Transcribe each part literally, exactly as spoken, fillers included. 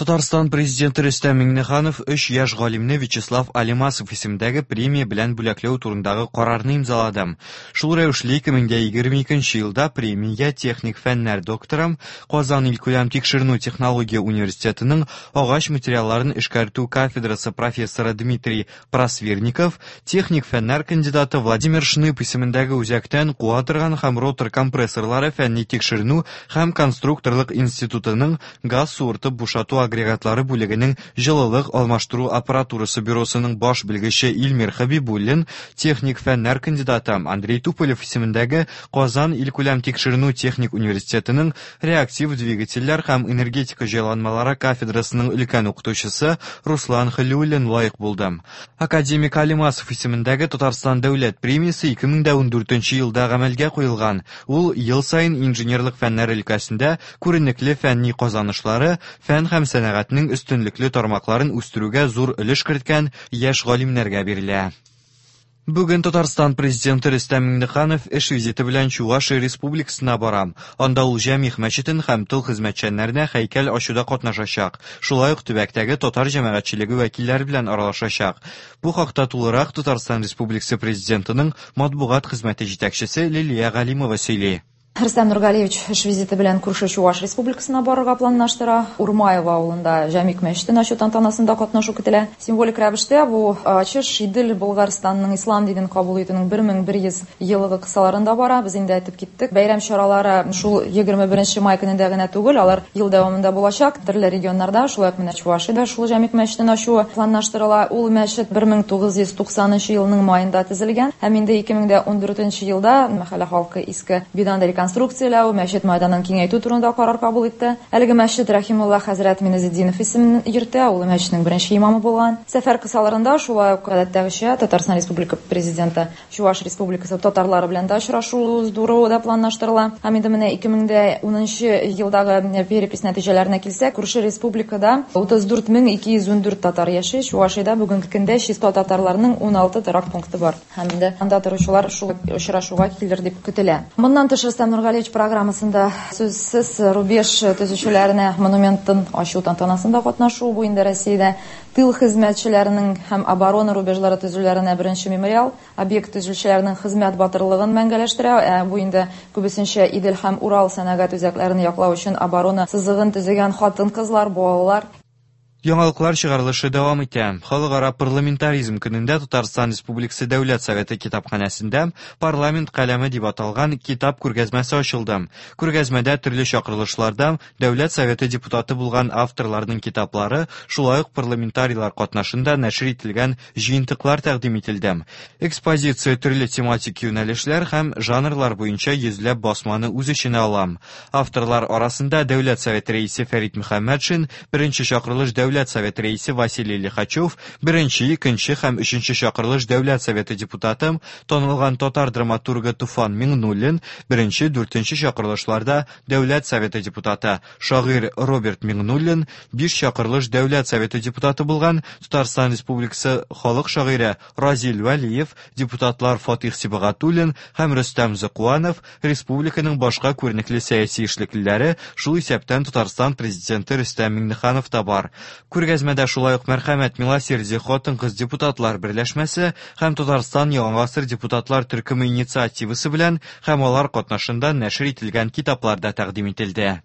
Татарстан президенты Рөстәм Миңнеханов өч яшь галимне Вячеслав Алимасов исемендәге премия белән бүләкләү турындагы карарны имзалады. Шул рәвешле ике мең дә егерме икенче елда премиягә техник фәннәр докторы, Казан илкүләм тикшеренү технология университетының агач материалларын эшкәртү кафедрасы профессоры Дмитрий Просвирников, техник фәннәр кандидаты Владимир Шнып исемендәге үзәктән куа торган һәм ротор компрессорлары фәнни тикшеренү һәм конструкторлык институтының газ суыртып бушату агрегатлары бүлегенең җылылык алмаштыру аппаратурасы бюросының баш белгече Илмир Хабибуллин, техник фәннәр кандидаты Андрей Туполев исемендәге Казан илкүләм тикшеренү техник университетының реактив двигательләр һәм энергетика җайланмалары кафедрасының өлкән укытучысы Руслан Хәлиуллин лаек булды. Академик Алимасов исемендәге Татарстан дәүләт премиясе ике мең дә ундүртенче елда гамәлгә куелган. Ул ел саен инженерлык фәннәре өлкәсендә күренекле фәнни казанышлары, фән һәм сәнәгатьнең өстенлекле тармакларын үстерүгә зур өлеш керткән яшь галимнәргә бирелә. Бүген Татарстан президенты Рөстәм Миңнеханов эш визиты белән Чувашия Республикасына бара. Анда ул Җәмигъ мәчетен һәм тыл хезмәтчәннәренә һәйкәл ачуда катнашачак. Шулай ук төбәктәге татар җәмәгатьчелеге вәкилләре белән аралашачак. Бу хакта тулырак Татарстан Республикасы президентының матбугат хезмәте җитәкчесе Лилия Галимова сөйли. Рөстәм Нургалиевич эш визиты белән күрше Чуваш Республикасына барырга планлаштыра. Урмаева авылында Җәмигъ мәчетен ачу тантанасында катнашу көтелә. Символик рәвештә бу ачыш Идел Болгарстанның ислам динен кабул итүнең бер мең бер йөз еллыгы кысаларында бара. Без инде әйтеп киттек. Бәйрәм чаралары шул егерме беренче май көнендә генә түгел, алар ел дәвамында булачак. Төрле регионнарда, шулай ук менә Чувашиядә шул Җәмигъ мәчетен ачу планлаштырыла. Ул мәчет бер мең тугыз йөз туксанынчы елның майында төзелгән һәм инде ике мең дә ундүртенче елда мәхәллә халкы иске бинаны реконструкцияләү, мәчет майданын киңәйтү турында карар кабул итте. Әлеге мәчет Рәхимулла хәзрәт Миназетдинов исемен йөртә, ул мәчетнең беренче имамы булган. Сәфәр кысаларында шулай ук гадәттәгечә Татарстан Республика президенты Чуваш Республикасы татарлары белән дә очрашу уздыру да планлаштырыла. Һәм инде менә ике мең дә унынчы елдагы перепись нәтиҗәләренә килсәк, күрше республикада утыз дүрт мең ике йөз ундүрт татар яши. Чувашиядә бүгенге көндә чиста татарларның уналты торак пункты бар. Һәм инде анда торучылар шул очрашуга килер дип көтелә. Моннан тыш Рөстәм Нургалиевич программасында сүзсез рубеж төзүчеләренә монументын ачу тантанасында катнашу, бу инде Россиядә тыл хезмәтчеләренең һәм оборона рубежлары төзүләренә беренче мемориал, объект төзүчеләренең хезмәт батырлыгын мәңгеләштерә. Ә бу инде күбесенчә Идел һәм Урал сәнәгать үзәкләрен яклау өчен оборона сызыгын төзегән хатын-кызлар, балалар. Яңалыклар чыгарылышы дәвам итә. Халыкара парламентаризм көнендә Татарстан Республикасы Дәүләт Советы китапханәсендә Парламент каләме дип аталган китап күргәзмәсе ачылды. Күргәзмәдә төрле чакырылышларда Дәүләт Советы депутаты булган авторларның китаплары, шулай ук парламентарийлар катнашында нәшер ителгән җыентыклар тәкъдим ителде. Экспозиция төрле тематик юнәлешләр һәм жанрлар буенча йөзләп басманы үз эченә ала. Авторлар арасында Дәүләт Советы рәисе Фәрит Мөхәммәтшин, беренче чакырылыш Дәүләт Дәүләт Советы рәисе Василий Лихачев, беренче, икенче һәм өченче чакырылыш Дәүләт Советы депутаты, танылган татар драматургы Туфан Миңнуллин, беренче, дүртенче чакырылышларда Дәүләт Советы депутаты, шагыйрь Роберт Миңнуллин, биш чакырылыш Дәүләт Советы депутаты булган Татарстан Республикасы халык шагыйре Разил Вәлиев, депутатлар Фатих Сибагатуллин һәм Рөстәм Зыкуанов, республиканың башка күренекле сәяси эшлеклеләре, шул исәптән Татарстан президенты Рөстәм Миңнеханов та бар. Күргәзмәдә шулай ук Мәрхәмәт Милосердие хатын-кыз депутатлар берләшмәсе һәм Татарстан Яңа гасыр депутатлар төркеме инициативасы белән һәм алар катнашында нәшер ителгән китаплар да тәкъдим ителде.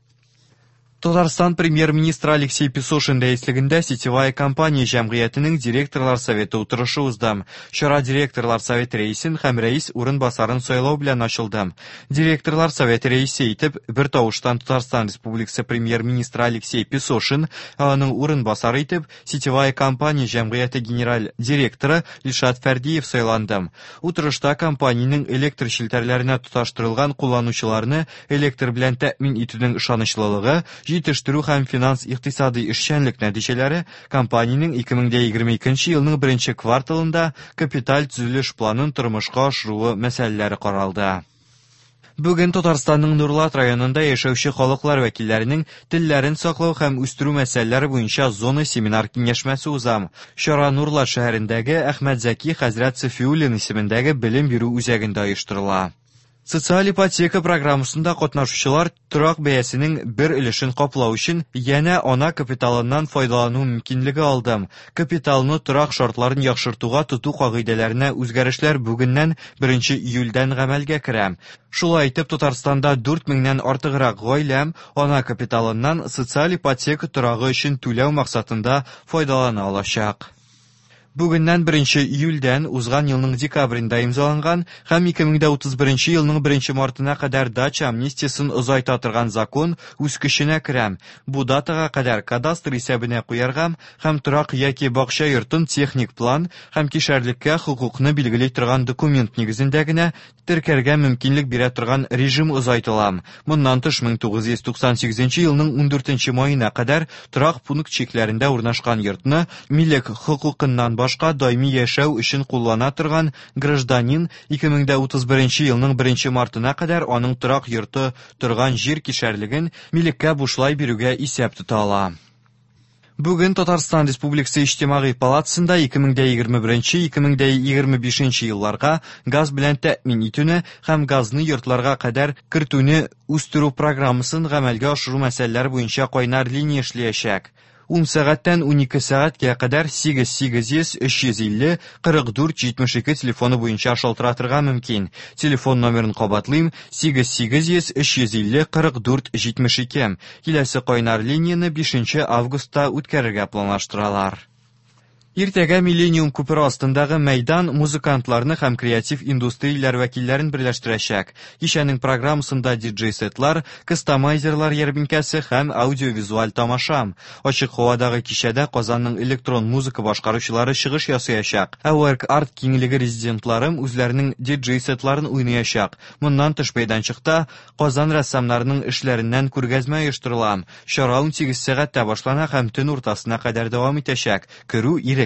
Татарстан премьер-министры Алексей Песошин рәислегендә Сетевая компания җәмгыятенең директорлар советы утырышы узды. Чара директорлар советы рәисен һәм рәис урынбасарын сайлау белән ачылды. Директорлар советы рәисе итеп бер тавыштан Татарстан Республикасы премьер-министры Алексей Песошин, аның урынбасары итеп Сетевая компания җәмгыяте генераль директоры Илшат Фәрдиев сайланды. Утырышта компаниянең электр челтәрләренә тоташтырылган кулланучыларны электр белән тәэмин итүнең ышанычлылыгы, җитештерү һәм финанс икътисади эшчәнлек нәтиҗәләре компаниянең ике мең дә егерме икенче елның беренче кварталында капиталь төзелеш планын тормышка ашыруы мәсьәләләре каралды. Бүген Татарстанның Нурлат районында яшәүче халыклар вәкилләренең телләрен саклау һәм үстерү мәсьәләләре буенча зона семинар киңәшмәсе уза. Чара Нурлат шәһәрендәге Әхмәт Зәки хәзрәт Сафиуллин исемендәге белем бирү үзәгендә оештырыла. Социаль ипотека программасында катнашучылар торак бәясенең бер өлешен каплау өчен янә ана капиталыннан файдалану мөмкинлеге алды. Капиталны торак шартларын яхшыртуга тоту кагыйдәләренә үзгәрешләр бүгеннән беренче июльдән гамәлгә керә. Шулай итеп, Татарстанда дүрт меңнән артыграк гаилә ана капиталыннан социаль ипотека торагы өчен түләү максатында файдалана алачак. Бүгеннән беренче июльдән узган елның декабрендә имзаланган һәм ике мең дә утыз беренче елның беренче мартына кадәр дача амнистиясын озайта торган закон үз көченә керә. Бу датага кадәр кадастр исәбенә куярга һәм торак яки бакча йортын техник план һәм кишәрлеккә хокукны билгели торган документ нигезендә генә теркәргә мөмкинлек бирә торган режим озайтыла. Моннан тыш мең тугыз йөз туксан сигезенче елның ундүртенче маена кадәр торак пункт чикләрендә урнашкан йортны милек хокукыннан башка даими яшәү өчен куллана торган гражданин ике мең дә утыз беренче елның беренче мартына кадәр аның торак йорты торган җир кишәрлеген милеккә бушлай бирүгә исәп тота ала. Бүген Татарстан Республикасы Иҗтимагый палатасында ике мең дә егерме беренче, ике мең дә егерме бишенче елларга газ белән тәэмин итүне һәм газны йортларга кадәр кертүне үстерү программасын гамәлгә ашыру мәсьәләләре буенча кайнар линия эшләячәк. Ун сәгатьтән унике сәгатькә кадәр сигез сигез йөз, өч йөз илле, кырык дүрт, җитмеш ике телефоны буенча шалтыратырга мөмкин. Телефон номерын кабатлыйм: сигез сигез йөз, өч йөз илле, кырык дүрт, җитмеш ике. Киләсе кайнар линияне бишенче августта үткәрергә планлаштыралар. Иртәгә Миллениум күпере астындагы мәйдан музыкантларны һәм креатив индустрияләр вәкилләрен берләштерәчәк. Кичәнең программасында диджей-сетлар, кастомайзерлар ярминкәсе һәм аудиовизуаль тамаша. Ачык һавадагы кичәдә Казанның электрон музыка башкаручылары чыгыш ясаячак. Ә Work Art киңлеге резидентлары үзләренең диджей-сетларын уйнаячак. Моннан тыш мәйданчыкта Казан рәссамнарының эшләреннән күргәзмә оештырыла. Чара унсигез сәгатьтә башлана һәм төн уртасына кадәр дәвам итәчәк. Керү ирекле.